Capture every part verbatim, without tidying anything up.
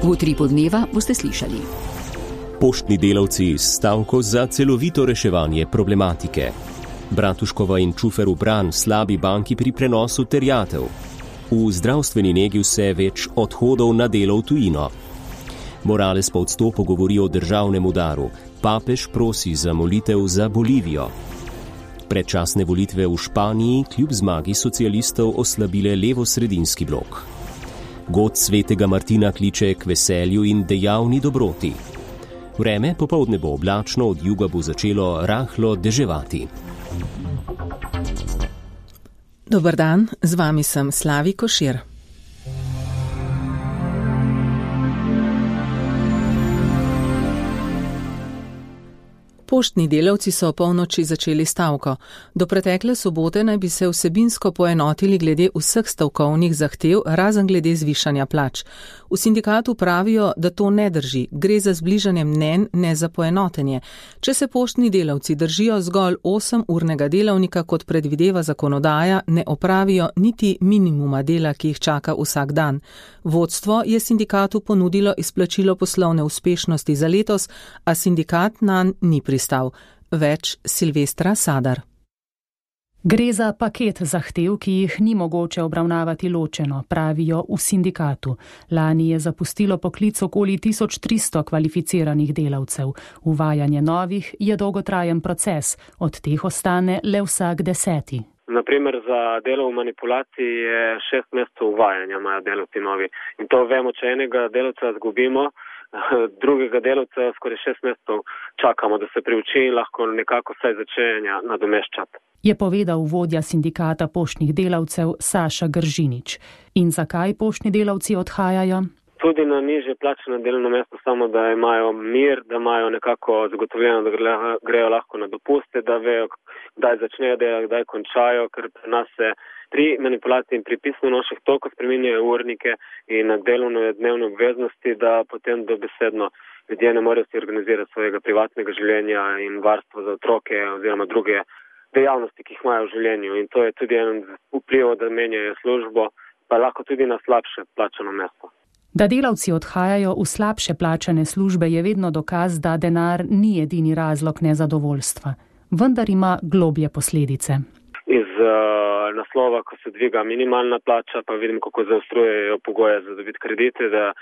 V utripu dneva boste slišali. Poštni delavci s stavko za celovito reševanje problematike. Bratuškova in Čufer v bran slabi banki pri prenosu terjatev. V zdravstveni negi vse več odhodov na delo v tujino. Morales po odstopu govori o državnem udaru. Papež prosi za molitev za Bolivijo. Predčasne volitve v Španiji kljub zmagi socialistov oslabile levo-sredinski blok. God svetega Martina kliče k veselju in dejavni dobroti. Vreme popoldne bo oblačno, od juga bo začelo rahlo deževati. Dober dan, z vami sem Slavi Košir. Poštni delavci so polnoči začeli stavko. Do pretekle sobote naj bi se vsebinsko poenotili glede vseh stavkovnih zahtev, razen glede zvišanja plač. V sindikatu pravijo, da to ne drži, gre za zbližanje mnenj, ne za poenotenje. Če se poštni delavci držijo zgolj osemurnega delavnika, kot predvideva zakonodaja, ne opravijo niti minimuma dela, ki jih čaka vsak dan. Vodstvo je sindikatu ponudilo izplačilo poslovne uspešnosti za letos, a sindikat nanj ni pristal. Več Silvestra Sadar. Gre za paket zahtev, ki jih ni mogoče obravnavati ločeno, pravijo v sindikatu. Lani je zapustilo poklic okoli tisoč tristo kvalificiranih delavcev. Uvajanje novih je dolgotrajen proces, od teh ostane le vsak deseti. Naprimer, za delo v manipulaciji je šest mesecev uvajanja, imajo delavci novi. In to vemo, če enega delavca zgubimo, drugega delavca skoraj šest mesecev čakamo, da se priuči in lahko nekako vsaj začenja nadomeščati. Je povedal vodja sindikata poštnih delavcev Saša Gržinič. In zakaj poštni delavci odhajajo? Tudi na nižje plačeno delovno mesto, samo da imajo mir, da imajo nekako zagotovljeno, da grejo lahko na dopuste, da vejo, kdaj začnejo delati, kdaj končajo, ker pri nas se pri manipulaciji in pri pismonoših toliko spreminjajo urnike in delovne dnevne obveznosti, da potem dobesedno ljudje ne morejo si organizirati svojega privatnega življenja in varstva za otroke oziroma druge dejavnosti, ki jih imajo v življenju. In to je tudi en vpliv, da menjajo službo, pa lahko tudi na slabše plačano mesto. Da delavci odhajajo v slabše plačane službe, je vedno dokaz, da denar ni edini razlog nezadovoljstva. Vendar ima globlje posledice. Iz uh, naslova, ko se dviga minimalna plača, pa vidim, kako zaostrujejo pogoje za dobiti kredite, da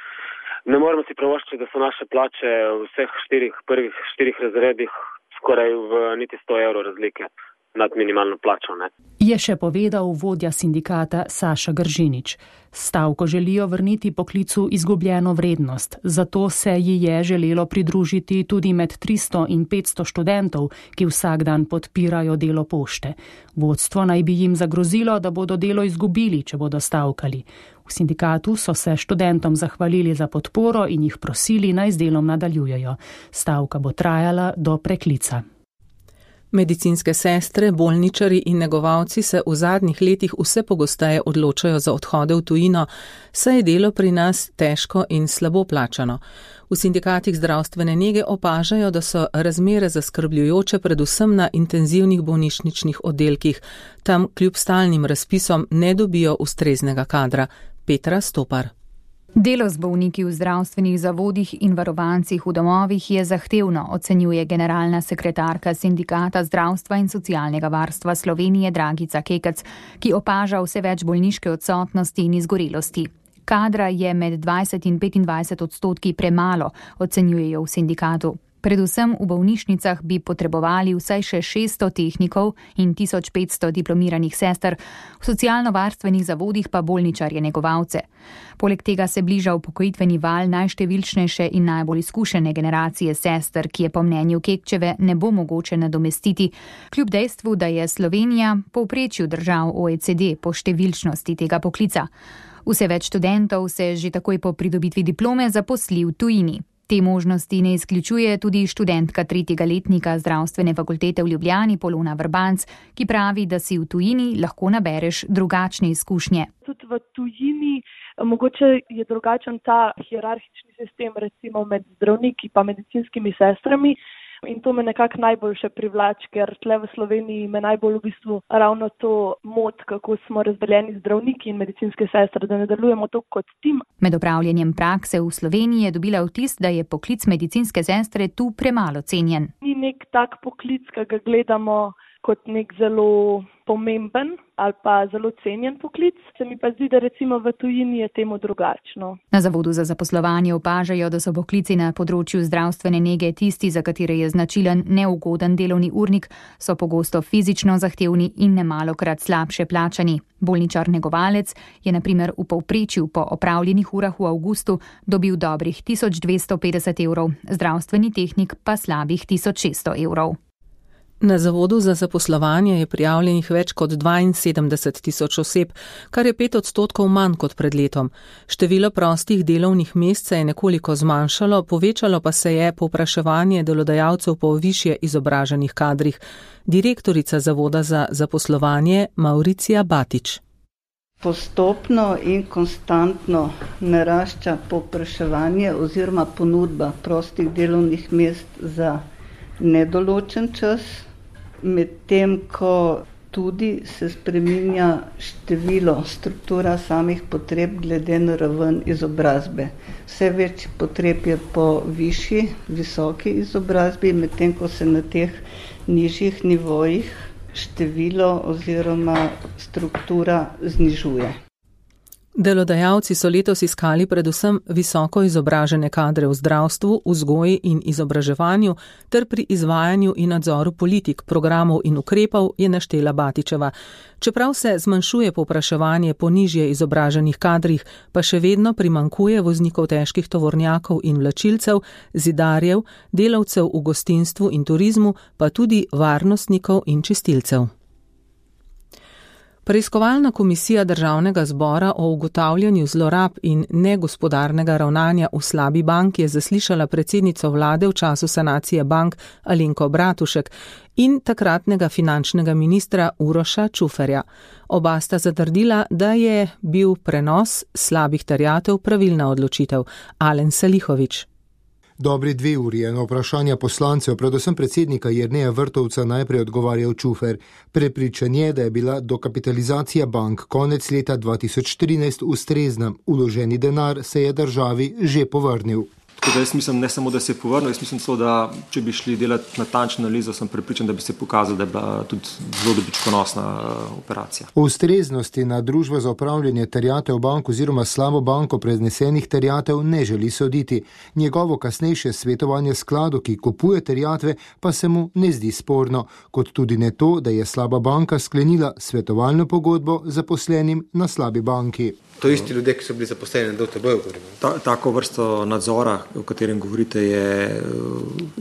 ne moremo si privoščiti, da so naše plače v vseh štirih, prvih štirih razredih skoraj v niti sto evrov razlike nad minimalno plačo. Ne? Je še povedal vodja sindikata Saša Gržinič. Stavko želijo vrniti poklicu izgubljeno vrednost, zato se ji je želelo pridružiti tudi med tristo in petsto študentov, ki vsak dan podpirajo delo pošte. Vodstvo naj bi jim zagrozilo, da bodo delo izgubili, če bodo stavkali. V sindikatu so se študentom zahvalili za podporo in jih prosili, naj z delom nadaljujejo. Stavka bo trajala do preklica. Medicinske sestre, bolničari in negovalci se v zadnjih letih vse pogosteje odločajo za odhode v tujino, saj je delo pri nas težko in slabo plačano. V sindikatih zdravstvene nege opažajo, da so razmere zaskrbljujoče predvsem na intenzivnih bolnišničnih oddelkih. Tam kljub stalnim razpisom ne dobijo ustreznega kadra. Petra Stopar. Delo z bolniki v zdravstvenih zavodih in varovancih v domovih je zahtevno, ocenjuje generalna sekretarka Sindikata zdravstva in socialnega varstva Slovenije Dragica Kekec, ki opaža vse več bolniške odsotnosti in izgorelosti. Kadra je med dvajset in petindvajset odstotki premalo, ocenjujejo v sindikatu. Predvsem v bolnišnicah bi potrebovali vsaj še šeststo tehnikov in tisoč petsto diplomiranih sester, v socialno-varstvenih zavodih pa bolničarje negovalce. Poleg tega se bliža upokojitveni val najštevilčnejše in najbolj izkušene generacije sester, ki je po mnenju Kekčeve ne bo mogoče nadomestiti, kljub dejstvu, da je Slovenija povprečju držav O E C D po številčnosti tega poklica. Vse več študentov se že takoj po pridobitvi diplome zaposli v tujini. Te možnosti ne izključuje tudi študentka tretjega letnika zdravstvene fakultete v Ljubljani Polona Vrbanc, ki pravi, da si v tujini lahko nabereš drugačne izkušnje. Tudi v tujini mogoče je drugačen ta hierarhični sistem, recimo med zdravniki pa medicinskimi sestrami. In to me nekako najbolj še privlači, ker tle v Sloveniji me najbolj v bistvu ravno to mot, kako smo razdeljeni zdravniki in medicinske sestre, da ne delujemo to kot tim. Med opravljanjem prakse v Sloveniji je dobila vtis, da je poklic medicinske sestre tu premalo cenjen. Ni nek tak poklic, ki ga gledamo kot nek zelo pomemben ali pa zelo cenjen poklic. Se mi pa zdi, da recimo v tujini je temu drugačno. Na Zavodu za zaposlovanje opažajo, da so poklici na področju zdravstvene nege tisti, za katere je značilen neugoden delovni urnik, so pogosto fizično zahtevni in nemalokrat slabše plačani. Bolničar negovalec je na primer v povprečju po opravljenih urah v avgustu dobil dobrih tisoč dvesto petdeset evrov, zdravstveni tehnik pa slabih tisoč šeststo evrov. Na Zavodu za zaposlovanje je prijavljenih več kot dvainsedemdeset tisoč oseb, kar je pet odstotkov manj kot pred letom. Število prostih delovnih mest se je nekoliko zmanjšalo, povečalo pa se je povpraševanje delodajalcev po višje izobraženih kadrih. Direktorica Zavoda za zaposlovanje Mauricija Batič. Postopno in konstantno narašča povpraševanje oziroma ponudba prostih delovnih mest za nedoločen čas, medtem ko tudi se spreminja število, struktura samih potreb glede na raven izobrazbe. Vse več potreb je po višji, visoki izobrazbi, medtem ko se na teh nižjih nivojih število oziroma struktura znižuje. Delodajalci so letos iskali predvsem visoko izobražene kadre v zdravstvu, vzgoji in izobraževanju ter pri izvajanju in nadzoru politik, programov in ukrepov, je naštela Batičeva. Čeprav se zmanjšuje povpraševanje po nižje izobraženih kadrih, pa še vedno primankuje voznikov težkih tovornjakov in vlačilcev, zidarjev, delavcev v gostinstvu in turizmu, pa tudi varnostnikov in čistilcev. Preiskovalna komisija Državnega zbora o ugotavljanju zlorab in negospodarnega ravnanja v slabi banki je zaslišala predsednico vlade v času sanacije bank Alenko Bratušek in takratnega finančnega ministra Uroša Čuferja. Oba sta zatrdila, da je bil prenos slabih terjatev pravilna odločitev. Alen Salihović. Dobri dve uri je na vprašanja poslancev, predvsem predsednika Jerneja Vrtovca, najprej odgovarjal Čufer. Prepričan je, da je bila dokapitalizacija bank konec leta dva tisoč trinajst ustrezna. Vloženi denar se je državi že povrnil. Tako da jaz mislim, ne samo, da se je povrnil, jaz mislim so, da če bi šli delati natančno analizo, sem prepričan, da bi se pokazal, da je bila tudi zelo dobičkonosna operacija. O ustreznosti na Družbo za upravljanje terjatev bank oziroma slabo banko preznesenih terjatev ne želi soditi. Njegovo kasnejše svetovanje skladu, ki kupuje terjatve, pa se mu ne zdi sporno, kot tudi ne to, da je slaba banka sklenila svetovalno pogodbo zaposlenim na slabi banki. To isti ljudje, ki so bili zaposleni na D T B-ju. Ta, tako vrsto nadzora, o katerem govorite, je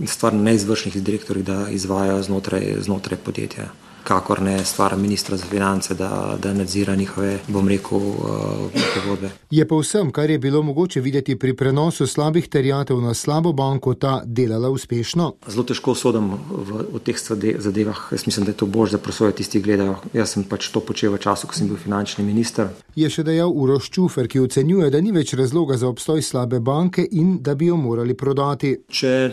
stvar neizvršnih direktorjev, da izvajajo znotraj, znotraj podjetja. Kakor ne stvar ministra za finance, da, da nadzira njihove, bom rekel, pogodbe. Je pa vsem, kar je bilo mogoče videti pri prenosu slabih terjatev na slabo banko, ta delala uspešno? Zelo težko sodim v, v teh zadevah. Jaz mislim, da je to bož, da prosojo tisti gledajo. Jaz sem pač to počel v času, ko sem bil finančni minister. Je še dejal Uroš Čufer, ki ocenjuje, da ni več razloga za obstoj slabe banke in da bi jo morali prodati. Če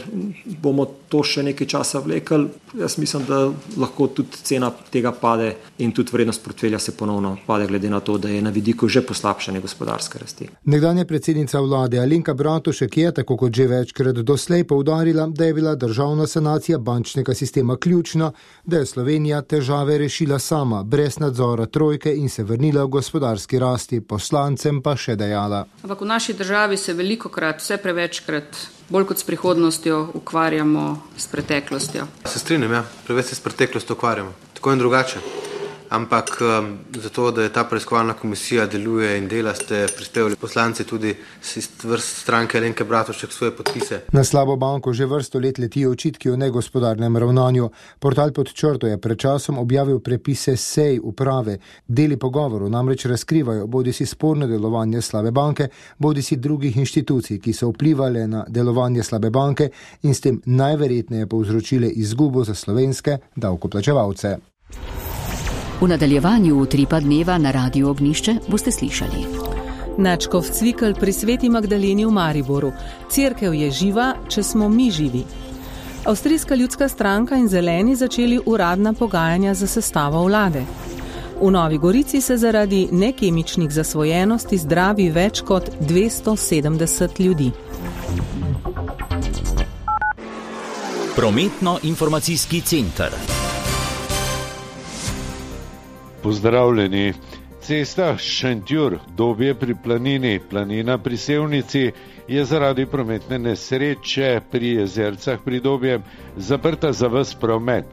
bomo to še nekaj časa vlekli, jaz mislim, da lahko tudi cena tega pade in tudi vrednost portfelja se ponovno pade, glede na to, da je na vidiku že poslabšanje gospodarske rasti. Nekdanja predsednica vlade Alenka Bratušek je, tako kot že večkrat doslej, poudarila, da je bila državna sanacija bančnega sistema ključna, da je Slovenija težave rešila sama, brez nadzora trojke in se vrnila v gospodarski rasti, poslancem pa še dejala. Ampak v naši državi se velikokrat, vse prevečkrat, bolj kot s prihodnostjo, ukvarjamo s preteklostjo. Se strinjam, ja, preveč se s preteklostjo ukvarjamo. Tako in drugače. Ampak um, zato, da je ta preiskovalna komisija deluje in dela, ste prispevali poslanci tudi iz vrst stranke Alenke Bratušek svoje podpise. Na slabo banko že vrsto let letijo očitki o negospodarnem ravnanju. Portal Pod črto je pred časom objavil prepise sej uprave. Deli pogovorov namreč razkrivajo bodisi sporno delovanje slabe banke, bodisi drugih inštitucij, ki so vplivali na delovanje slabe banke in s tem najverjetneje povzročile izgubo za slovenske davkoplačevalce. V nadaljevanju Utripa dneva na Radiu Ognjišče boste slišali. Načkov Cvikl pri Sveti Magdaleni v Mariboru. Cerkev je živa, če smo mi živi. Avstrijska ljudska stranka in zeleni začeli uradna pogajanja za sestavo vlade. V Novi Gorici se zaradi nekemičnih zasvojenosti zdravi več kot dvesto sedemdeset ljudi. Prometno-informacijski center. Pozdravljeni. Cesta Šentjur-Dobje pri Planini, Planina pri Sevnici je zaradi prometne nesreče pri Jezercah pri Dobjem zaprta za ves promet.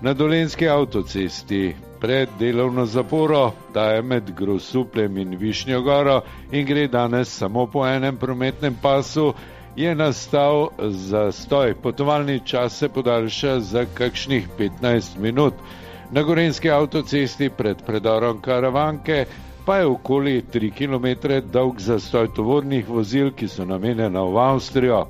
Na Dolenjski avtocesti pred delovno zaporo, ta je med Grosupljem in Višnjo goro in gre danes samo po enem prometnem pasu, je nastal zastoj. Potovalni čas se podaljša za kakšnih petnajst minut. Na Gorenjski avtocesti pred predorom Karavanke pa je okoli tri kilometre dolg zastoj tovornih vozil, ki so namenjena v Avstrijo.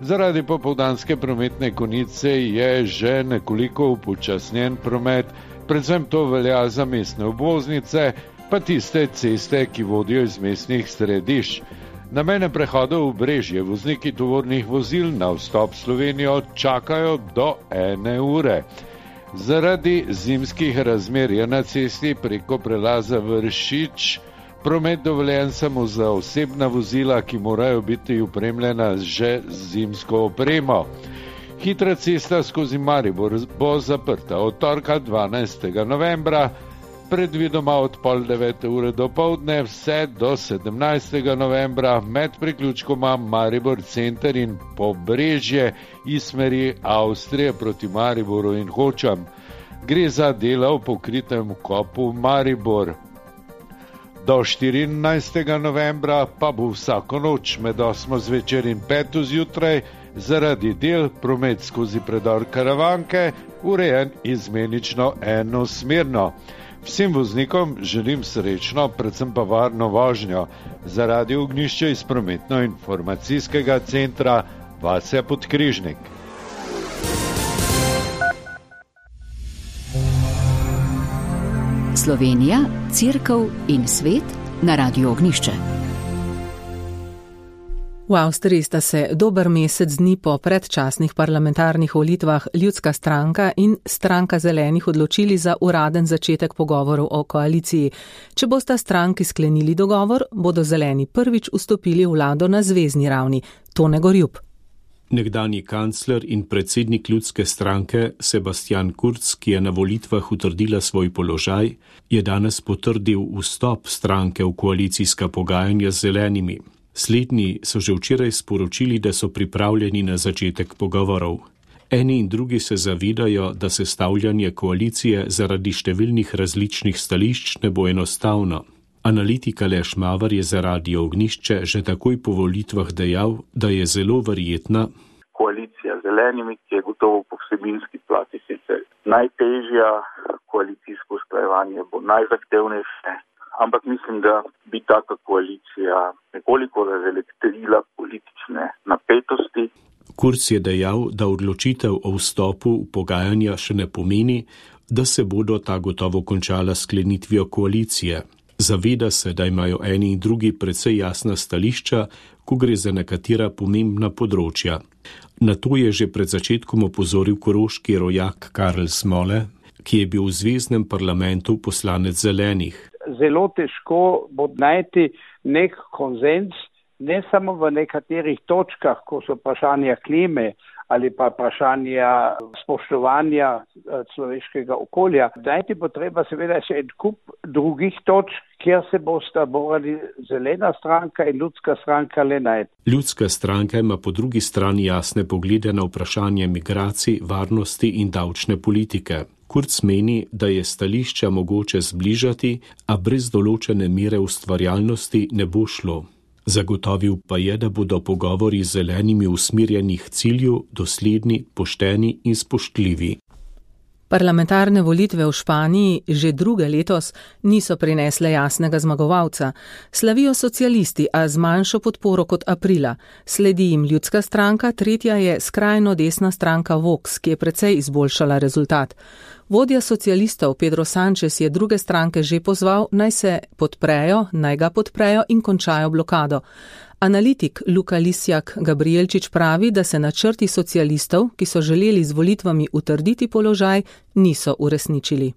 Zaradi popoldanske prometne konice je že nekoliko upočasnjen promet, predvsem to velja za mestne obvoznice, pa tiste ceste, ki vodijo iz mestnih središč. Na mejnem prehodu v Brežje vozniki tovornih vozil na vstop v Slovenijo čakajo do ene ure. Zaradi zimskih razmer je na cesti preko prelaza Vršič promet dovoljen samo za osebna vozila, ki morajo biti opremljena že z zimsko opremo. Hitra cesta skozi Maribor bo zaprta od torka dvanajstega novembra, predvidoma od pol devete ure dopoldne vse do sedemnajstega novembra med priključkoma Maribor center in Pobrežje iz smeri Avstrije proti Mariboru in Hočam. Gre za dela v pokritem kopu Maribor. Do štirinajstega novembra pa bo vsako noč med osmo zvečer in peto zjutraj zaradi del promet skozi predor Karavanke urejen izmenično enosmerno. Vsem voznikom želim srečno, predvsem pa varno vožnjo. Za Radio Ognjišče iz prometno-informacijskega centra Vasja Podkrižnik. Slovenija, Cerkev in svet na Radio Ognjišče. V Avstriji sta se dober mesec dni po predčasnih parlamentarnih volitvah Ljudska stranka in Stranka zelenih odločili za uraden začetek pogovorov o koaliciji. Če bosta stranki sklenili dogovor, bodo zeleni prvič vstopili v vlado na zvezni ravni. Tone Gorjup. Nekdanji kancler in predsednik Ljudske stranke Sebastian Kurz, ki je na volitvah utrdila svoj položaj, je danes potrdil vstop stranke v koalicijska pogajanja z zelenimi. Slednji so že včeraj sporočili, da so pripravljeni na začetek pogovorov. Eni in drugi se zavedajo, da sestavljanje koalicije zaradi številnih različnih stališč ne bo enostavno. Analitik Aleš Mavar je za Radio Ognjišče že takoj po volitvah dejal, da je zelo verjetna koalicija z zelenimi, ki je gotovo po vsebinski plati sicer najtežja, koalicijsko usklajevanje bo najzahtevnejše, ampak mislim, da bi taka koalicija nekoliko razelektrila politične napetosti. Kurz je dejal, da odločitev o vstopu v pogajanja še ne pomeni, da se bodo ta gotovo končala sklenitvijo koalicije. Zaveda se, da imajo eni in drugi precej jasna stališča, ko gre za nekatera pomembna področja. Na to je že pred začetkom opozoril koroški rojak Karl Smole, ki je bil v zveznem parlamentu poslanec zelenih. Zelo težko bo najti nek konsens, ne samo v nekaterih točkah, ko so vprašanja klime ali pa vprašanja spoštovanja človeškega okolja. Najti bo treba seveda še en kup drugih točk, kjer se bosta morali zelena stranka in ljudska stranka le najti. Ljudska stranka ima po drugi strani jasne poglede na vprašanje migracij, varnosti in davčne politike. Kurz meni, da je stališča mogoče zbližati, a brez določene mere ustvarjalnosti ne bo šlo. Zagotovil pa je, da bodo pogovori z zelenimi usmerjeni k cilju, dosledni, pošteni in spoštljivi. Parlamentarne volitve v Španiji že druge letos niso prinesle jasnega zmagovalca. Slavijo socialisti, a z manjšo podporo kot aprila. Sledi jim Ljudska stranka, tretja je skrajno desna stranka Vox, ki je precej izboljšala rezultat. Vodja socialistov Pedro Sánchez je druge stranke že pozval, naj se podprejo, naj ga podprejo in končajo blokado. Analitik Luka Lisjak Gabrielčič pravi, da se načrti socialistov, ki so želeli z volitvami utrditi položaj, niso uresničili.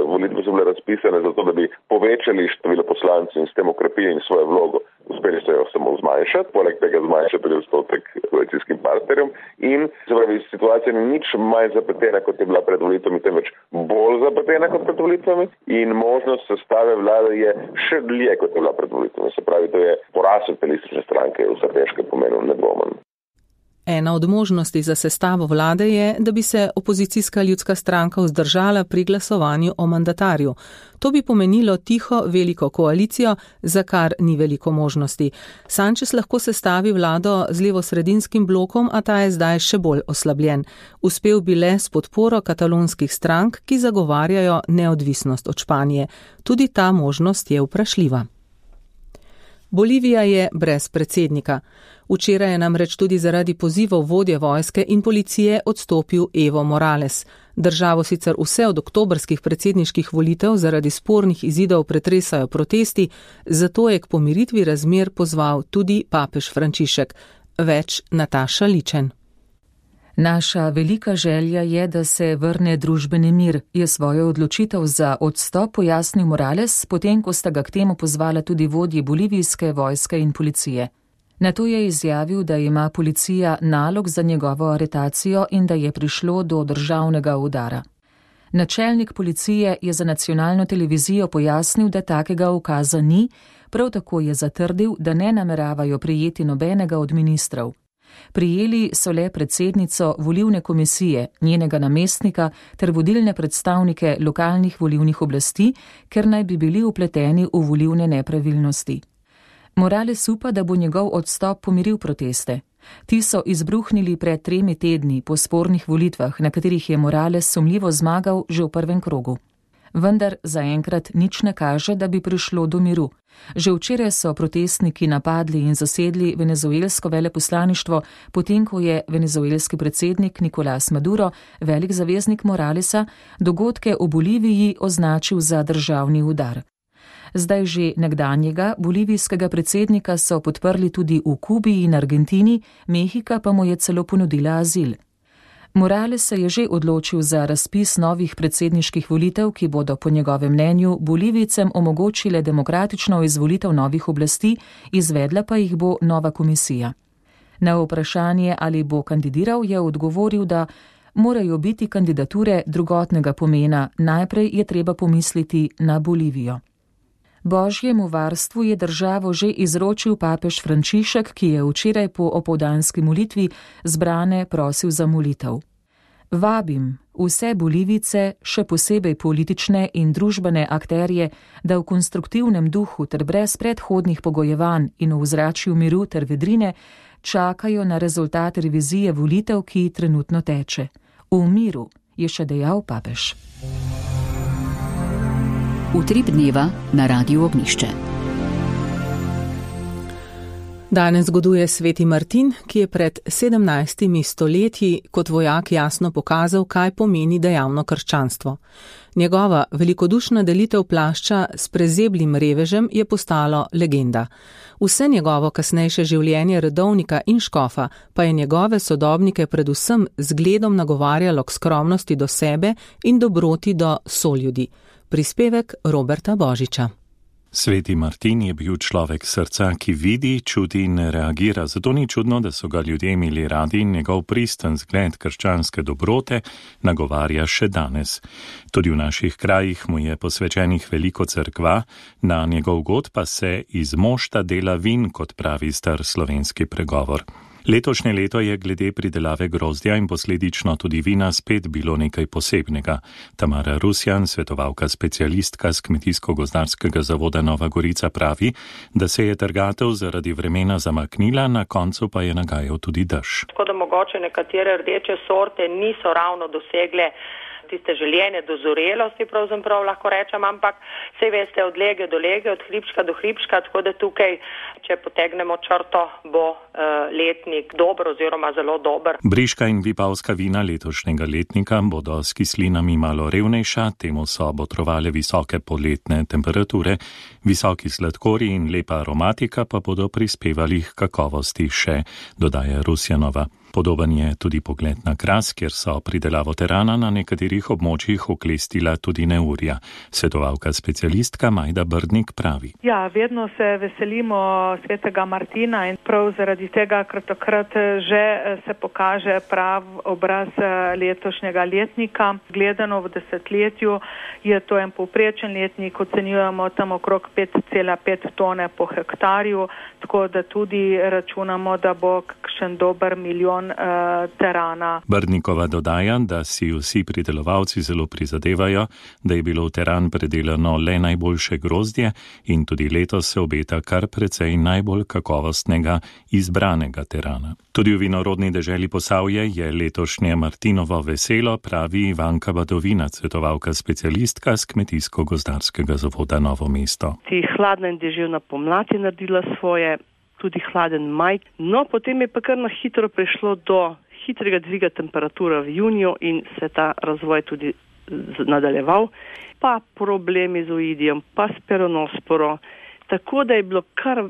Volitve so bile razpisane razpisane zato, da bi povečali število poslancev in s tem okrepili svojo vlogo. Uspeli so jo samo zmanjšati, poleg tega zmanjšati tudi odstotek koalicijskim partnerjem in se pravi, situacija ni nič manj zapletena, kot je bila pred volitvami, temveč bolj zapletena kot pred volitvami in možnost sestave vlade je še dlje, kot je bila pred volitvami. Se pravi, to je poraz socialistične stranke v strateškem pomenu nedvomen. Ena od možnosti za sestavo vlade je, da bi se opozicijska ljudska stranka vzdržala pri glasovanju o mandatarju. To bi pomenilo tiho veliko koalicijo, za kar ni veliko možnosti. Sanchez lahko sestavi vlado z levosredinskim blokom, a ta je zdaj še bolj oslabljen. Uspel bi le s podporo katalonskih strank, ki zagovarjajo neodvisnost od Španije. Tudi ta možnost je vprašljiva. Bolivija je brez predsednika. Včeraj je namreč tudi zaradi pozivov vodje vojske in policije odstopil Evo Morales. Državo sicer vse od oktobrskih predsedniških volitev zaradi spornih izidov pretresajo protesti, zato je k pomiritvi razmer pozval tudi papež Frančišek. Več Nataša Ličen. Naša velika želja je, da se vrne družbeni mir, je svojo odločitev za odstop pojasnil Morales, potem ko sta ga k temu pozvala tudi vodji bolivijske vojske in policije. Nato je izjavil, da ima policija nalog za njegovo aretacijo in da je prišlo do državnega udara. Načelnik policije je za nacionalno televizijo pojasnil, da takega ukaza ni, prav tako je zatrdil, da ne nameravajo prijeti nobenega od ministrov. Prijeli so le predsednico volilne komisije, njenega namestnika ter vodilne predstavnike lokalnih volilnih oblasti, ker naj bi bili vpleteni v volilne nepravilnosti. Morales upa, da bo njegov odstop pomiril proteste. Ti so izbruhnili pred tremi tedni po spornih volitvah, na katerih je Morales sumljivo zmagal že v prvem krogu. Vendar zaenkrat nič ne kaže, da bi prišlo do miru. Že včeraj so protestniki napadli in zasedli venezuelsko veleposlaništvo, potem ko je venezuelski predsednik Nicolás Maduro, velik zaveznik Moralesa, dogodke v Boliviji označil za državni udar. Zdaj že nekdanjega bolivijskega predsednika so podprli tudi v Kubi in Argentini, Mehika pa mu je celo ponudila azil. Morales se je že odločil za razpis novih predsedniških volitev, ki bodo po njegovem mnenju Bolivijcem omogočile demokratično izvolitev novih oblasti, izvedla pa jih bo nova komisija. Na vprašanje, ali bo kandidiral, je odgovoril, da morajo biti kandidature drugotnega pomena, najprej je treba pomisliti na Bolivijo. Božjemu varstvu je državo že izročil papež Frančišek, ki je včeraj po opoldanski molitvi zbrane prosil za molitev. Vabim vse Bolivice, še posebej politične in družbene akterje, da v konstruktivnem duhu ter brez predhodnih pogojevanj in v ozračju miru ter vedrine čakajo na rezultat revizije volitev, ki trenutno teče. V miru, je še dejal papež. Utrip dneva na Radiu Ognjišče. Danes zgoduje sveti Martin, ki je pred sedemnajstimi stoletji kot vojak jasno pokazal, kaj pomeni dejavno krščanstvo. Njegova velikodušna delitev plašča s prezeblim revežem je postalo legenda. Vse njegovo kasnejše življenje redovnika in škofa pa je njegove sodobnike predvsem zgledom nagovarjalo k skromnosti do sebe in dobroti do soljudi. Prispevek Roberta Božiča. Sveti Martin je bil človek srca, ki vidi, čuti in reagira, zato ni čudno, da so ga ljudje imeli radi in njegov pristen zgled krščanske dobrote nagovarja še danes. Tudi v naših krajih mu je posvečenih veliko cerkva, na njegov god pa se iz mošta dela vin, kot pravi star slovenski pregovor. Letošnje leto je glede pridelave grozdja in posledično tudi vina spet bilo nekaj posebnega. Tamara Rusjan, svetovalka specialistka z Kmetijsko-gozdarskega zavoda Nova Gorica, pravi, da se je trgatev zaradi vremena zamaknila, na koncu pa je nagajal tudi dež. Tako da mogoče nekatere rdeče sorte niso ravno dosegle tiste željene dozorelosti, pravzaprav lahko rečem, ampak sej veste, od lege do lege, od hribčka do hribčka, tako da tukaj, če potegnemo črto, bo uh, letnik dober oziroma zelo dober. Briška in vipavska vina letošnjega letnika bodo s kislinami malo revnejša, temu so botrovale visoke poletne temperature, visoki sladkori in lepa aromatika pa bodo prispevali k kakovosti še, dodaja Rusjanova. Podoben je tudi pogled na Kras, kjer so pridelavo terana na nekaterih območjih oklestila tudi neurja. Svetovalka specialistka Majda Brdnik pravi. Ja, vedno se veselimo svetega Martina in prav zaradi tega kratokrat že se pokaže prav obraz letošnjega letnika. Gledano v desetletju je to en povprečen letnik, ocenjujemo tam okrog pet cela pet tone po hektarju, tako da tudi računamo, da bo kakšen dober milijon terana. Brdnikova dodaja, da si vsi pridelovalci zelo prizadevajo, da je bilo v teran predelano le najboljše grozdje in tudi letos se obeta kar precej najbolj kakovostnega izbranega terana. Tudi v vinorodni deželi Posavje je letošnje Martinovo veselo, pravi Ivanka Badovina, svetovalka specialistka z Kmetijsko-gozdarskega zavoda Novo mesto. Ti hladna in deževna pomlad je naredila svoje, tudi hladen maj, no potem je pa kar na hitro prišlo do hitrega dviga temperature v juniju in se ta razvoj tudi nadaljeval, pa problemi z oidijem, pa s peronosporo, tako da je bilo kar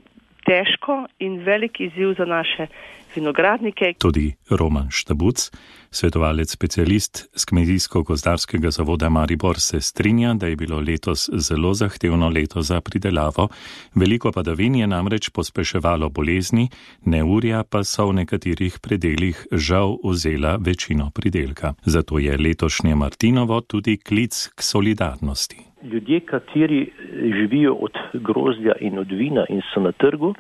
težko in velik izziv za naše vinogradnike. Tudi Roman Štabuc, svetovalec specialist z Kmetijsko-gozdarskega zavoda Maribor, se strinja, da je bilo letos zelo zahtevno leto za pridelavo. Veliko padavin je namreč pospeševalo bolezni, neurja pa so v nekaterih predelih žal vzela večino pridelka. Zato je letošnje Martinovo tudi klic k solidarnosti. Ljudje, kateri živijo od grozdja in od vina in so na trgu,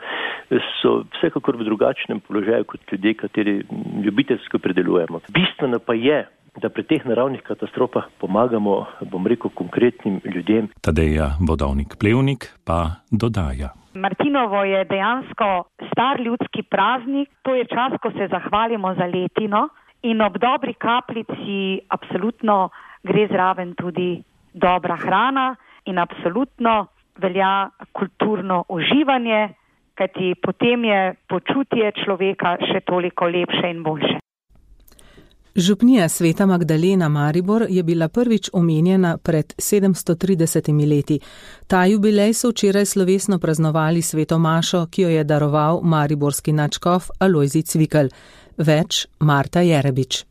so vsekakor v drugačnem položaju kot ljudje, kateri ljubiteljsko predelujemo. Bistveno pa je, da pri teh naravnih katastrofah pomagamo, bom rekel, konkretnim ljudem. Tadeja Vodovnik-Plevnik pa dodaja. Martinovo je dejansko star ljudski praznik, to je čas, ko se zahvalimo za letino in ob dobri kapljici absolutno gre zraven tudi dobra hrana in absolutno velja kulturno uživanje, kajti potem je počutje človeka še toliko lepše in boljše. Župnija Sveta Magdalena Maribor je bila prvič omenjena pred sedemsto tridesetimi leti. Ta jubilej so včeraj slovesno praznovali sveto mašo, ki jo je daroval mariborski nadškof Alojzij Cvikl. Več Marta Jerebič.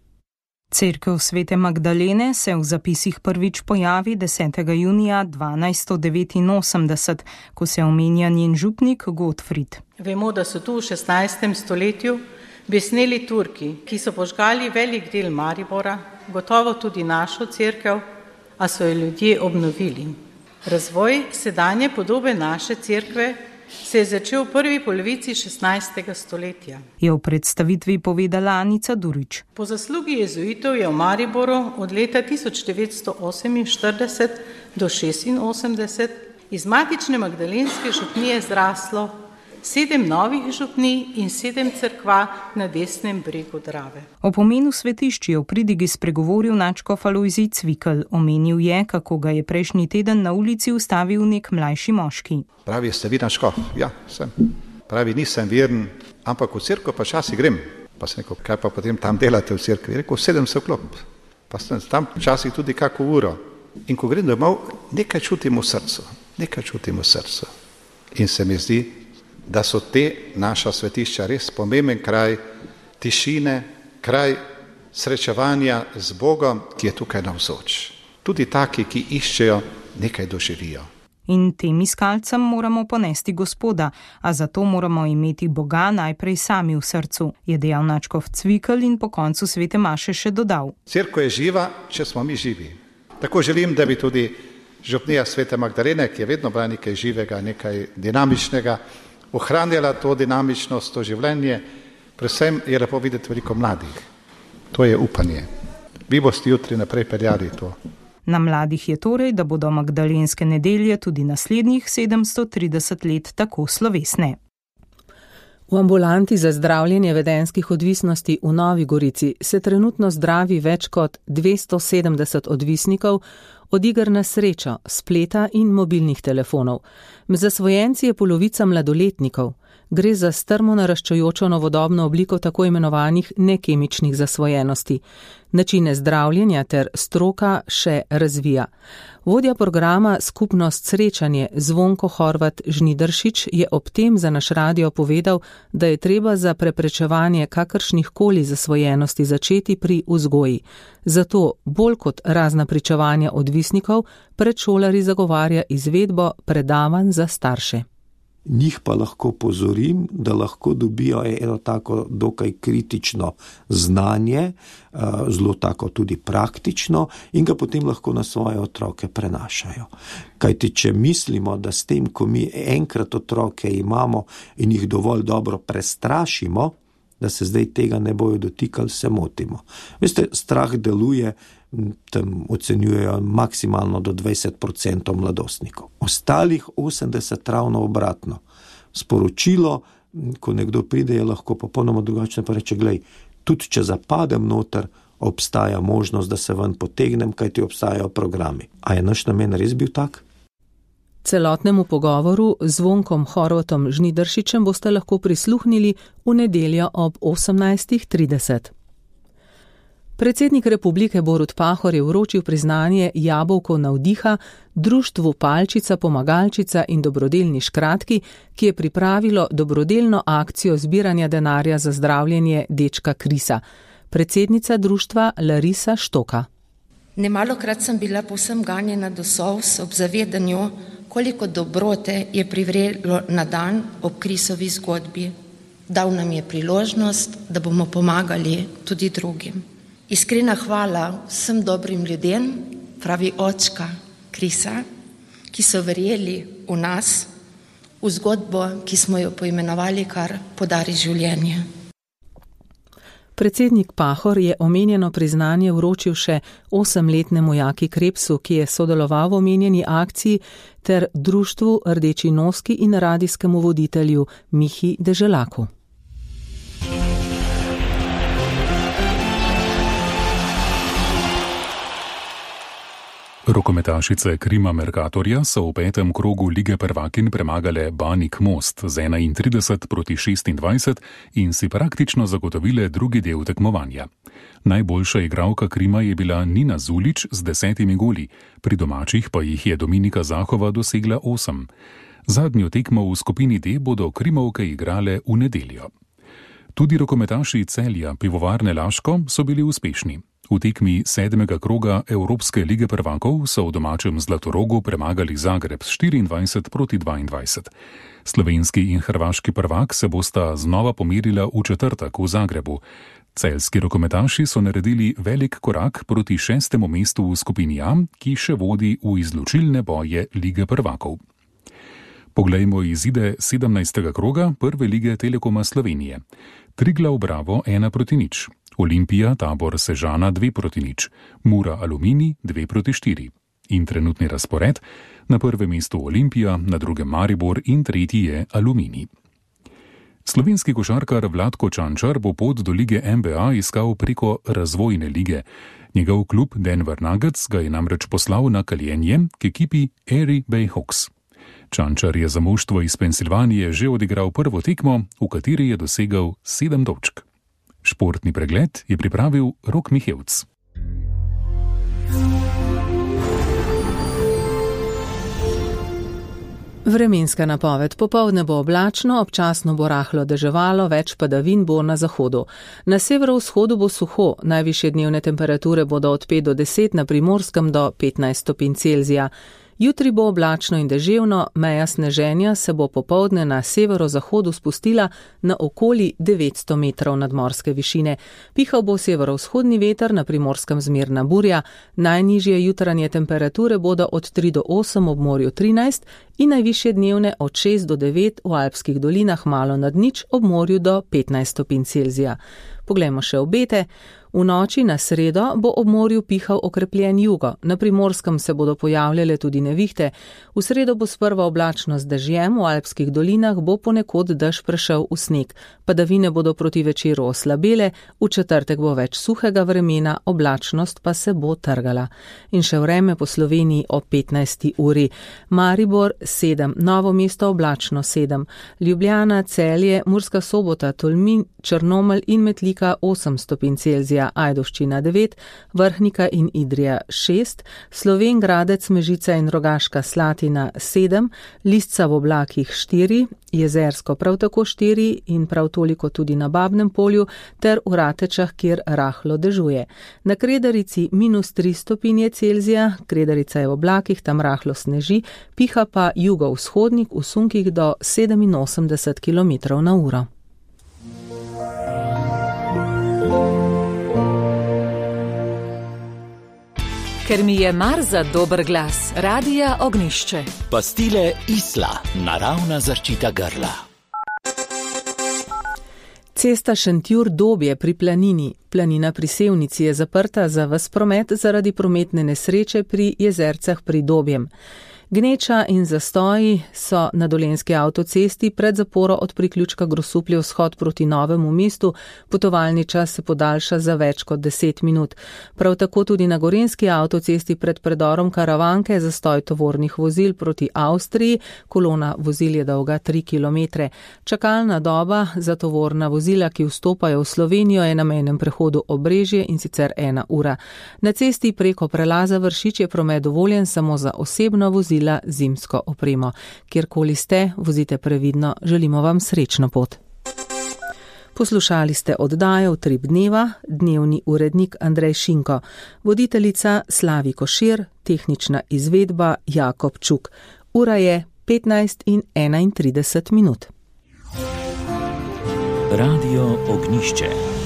Cerkev Svete Magdalene se v zapisih prvič pojavi desetega junija dvanajststo devetinosemdeset, ko se omenja njen župnik Godfrid. Vemo, da so tu v šestnajstem stoletju besneli Turki, ki so požgali velik del Maribora, gotovo tudi našo cerkev, a so jo ljudje obnovili. Razvoj sedanje podobe naše cerkve se je začel v prvi polovici šestnajstega stoletja. Je v predstavitvi povedala Anica Durič. Po zaslugi jezuitov je v Mariboru od leta tisoč devetsto oseminštirideset do šestinosemdeset iz matične magdalenske župnije zraslo sedem novih župnij in sedem cerkva na desnem bregu Drave. O pomenu svetišč je v pridigi spregovoril nadškof Alojzij Cvikl. Omenil je, kako ga je prejšnji teden na ulici ustavil nek mlajši moški. Pravi, ste vi nadškof? Ja, sem. Pravi, nisem veren, ampak v cerkev pa časi grem. Pa sem rekel, kaj pa potem tam delate v cerkvi? Rekel, sedem se vklop. Pa sem tam časih tudi kako uro. In ko grem domov, nekaj čutim v srcu. Nekaj čutim v srcu. In se mi zdi, da so te naša svetišča res pomemben kraj tišine, kraj srečevanja z Bogom, ki je tukaj navzoč. Tudi taki, ki iščejo, nekaj doživijo. In tem iskalcem moramo ponesti Gospoda, a zato moramo imeti Boga najprej sami v srcu, je dejal nadškof Cvikl in po koncu svete maše še dodal. Cerkev je živa, če smo mi živi. Tako želim, da bi tudi župnija Svete Magdalene, ki je vedno bila nekaj živega, nekaj dinamičnega, ohranjala to dinamičnost, to življenje, predvsem je lepo videti veliko mladih. To je upanje. Vi boste jutri naprej peljali to. Na mladih je torej, da bodo magdalenske nedelje tudi naslednjih sedemsto trideset let tako slovesne. V ambulanti za zdravljenje vedenjskih odvisnosti v Novi Gorici se trenutno zdravi več kot dvesto sedemdeset odvisnikov od iger na srečo, spleta in mobilnih telefonov. Med zasvojenci je polovica mladoletnikov. Gre za strmo naraščajočo novodobno obliko tako imenovanih nekemičnih zasvojenosti. Načine zdravljenja ter stroka še razvija. Vodja programa Skupnost srečanje Zvonko Horvat Žnidaršič je ob tem za naš radio povedal, da je treba za preprečevanje kakršnih koli zasvojenosti začeti pri vzgoji. Zato bolj kot razna pričevanja odvisnikov, predšolari zagovarja izvedbo predavanj za starše. Njih pa lahko pozorim, da lahko dobijo eno tako dokaj kritično znanje, zelo tako tudi praktično in ga potem lahko na svoje otroke prenašajo. Kajti, če mislimo, da s tem, ko mi enkrat otroke imamo in jih dovolj dobro prestrašimo, da se zdaj tega ne bojo dotikali, se motimo. Veste, strah deluje, tam ocenjujejo maksimalno do dvajset procentov mladostnikov. Ostalih osemdeset ravno obratno. Sporočilo, ko nekdo pride, je lahko popolnoma drugačno, pa reče, glej, tudi če zapadem noter, obstaja možnost, da se ven potegnem, kajti obstajajo programi. A je naš namen res bil tak? Celotnemu pogovoru z Zvonkom Horvatom Žnidaršičem boste lahko prisluhnili v nedeljo ob osemnajstih trideset. Predsednik republike Borut Pahor je vročil priznanje Jabolko navdiha društvu Palčica, Pomagalčica in dobrodelni škratki, ki je pripravilo dobrodelno akcijo zbiranja denarja za zdravljenje dečka Krisa. Predsednica društva Larisa Štoka. Nemalokrat sem bila povsem ganjena do solz ob zavedanju, koliko dobrote je privrelo na dan ob Krisovi zgodbi. Dal nam je priložnost, da bomo pomagali tudi drugim. Iskrena hvala vsem dobrim ljudem, pravi očka Krisa, ki so verjeli v nas, v zgodbo, ki smo jo poimenovali kar Podari življenje. Predsednik Pahor je omenjeno priznanje vročil še osemletnemu Jaki Krepsu, ki je sodeloval v omenjeni akciji, ter društvu Rdeči noski in radijskemu voditelju Mihi Deželaku. Rokometašice Krima Mercatorja so v petem krogu Lige prvakinj premagale Banik Most z enaintrideset proti šestindvajset in si praktično zagotovile drugi del tekmovanja. Najboljša igralka Krima je bila Nina Zulič z desetimi goli, pri domačih pa jih je Dominika Zahova dosegla osem. Zadnjo tekmo v skupini D bodo Krimovke igrale v nedeljo. Tudi rokometaši Celja Pivovarne Laško so bili uspešni. V tekmi sedmega kroga Evropske lige prvakov so v domačem Zlatorogu premagali Zagreb s štiriindvajset proti dvaindvajset. Slovenski in hrvaški prvak se bosta znova pomerila v četrtek v Zagrebu. Celjski rokometaši so naredili velik korak proti šestemu mestu v skupini A, ki še vodi v izločilne boje lige prvakov. Poglejmo izide sedemnajstega kroga prve lige Telekoma Slovenije. Triglav Bravo ena proti nič. Olimpija Tabor Sežana dve proti nič, Mura Aluminij dve proti štiri. In trenutni razpored: na prvem mestu Olimpija, na drugem Maribor in tretji je Aluminij. Slovenski košarkar Vlatko Čančar bo pot do lige N B A iskal preko razvojne lige. Njegov klub Denver Nuggets ga je namreč poslal na kaljenje k ekipi Erie Bay Hawks. Čančar je za moštvo iz Pensilvanije že odigral prvo tekmo, v kateri je dosegel sedem točk. Športni pregled je pripravil Rok Mihevc. Vremenska napoved: popoldne bo oblačno, občasno bo rahlo deževalo, več padavin bo na zahodu. Na severovzhodu bo suho, najvišje dnevne temperature bodo od pet do deset, na Primorskem do petnajst stopinj Celzija. Jutri bo oblačno in deževno, meja sneženja se bo popoldne na severozahodu spustila na okoli devetsto metrov nadmorske višine. Pihal bo severovzhodni veter, na Primorskem zmerna burja, najnižje jutranje temperature bodo od tri do osem, ob morju trinajst in najvišje dnevne od šest do devet, v alpskih dolinah malo nad nič, ob morju do petnajst stopinj Celzija. Poglejmo še obete. V noči na sredo bo ob morju pihal okrepljen jugo, na Primorskem se bodo pojavljale tudi nevihte. V sredo bo sprva oblačno z dežjem, v alpskih dolinah bo ponekod dež prešel v sneg. Padavine bodo proti večeru oslabele, v četrtek bo več suhega vremena, oblačnost pa se bo trgala. In še vreme po Sloveniji ob petnajsti uri. Maribor sedem, Novo mesto oblačno sedem, Ljubljana, Celje, Murska Sobota, Tolmin, Črnomelj in Metlika osem stopinj Celzija, Ajdovščina devet, Vrhnika in Idrija šest, Slovenj Gradec, Mežica in Rogaška Slatina sedem, Lisca v oblakih štiri, Jezersko prav tako štiri in prav toliko tudi na Babnem polju ter v Ratečah, kjer rahlo dežuje. Na Kredarici minus tri stopinje Celzija, Kredarica je v oblakih, tam rahlo sneži, piha pa jugovzhodnik v sunkih do sedeminosemdeset kilometrov na uro. Ker mi je mar za dober glas, Radia Ognišče. Pastile Isla, naravna zaščita grla. Cesta Šentjur-Dobje pri Planini. Planina pri Sevnici je zaprta za ves promet zaradi prometne nesreče pri Jezercah pri Dobjem. Gneča in zastoji so na Dolenjski avtocesti pred zaporo od priključka Grosuplje vzhod proti Novemu mestu, potovalni čas se podaljša za več kot deset minut. Prav tako tudi na Gorenjski avtocesti pred predorom Karavanke zastoj tovornih vozil proti Avstriji, kolona vozil je dolga tri kilometre. Čakalna doba za tovorna vozila, ki vstopajo v Slovenijo, je na mejnem prehodu Obrežje in sicer ena ura. Na cesti preko prelaza Vršič je promet dovoljen samo za osebno vozilo zimsko opremo. Kjerkoli ste, vozite previdno, želimo vam srečno pot. Poslušali ste oddajo Utrip dneva, dnevni urednik Andrej Šinko, voditeljica Slavi Košir, tehnična izvedba Jakob Čuk. Ura je petnajst in enaintrideset minut. Radio Ognišče.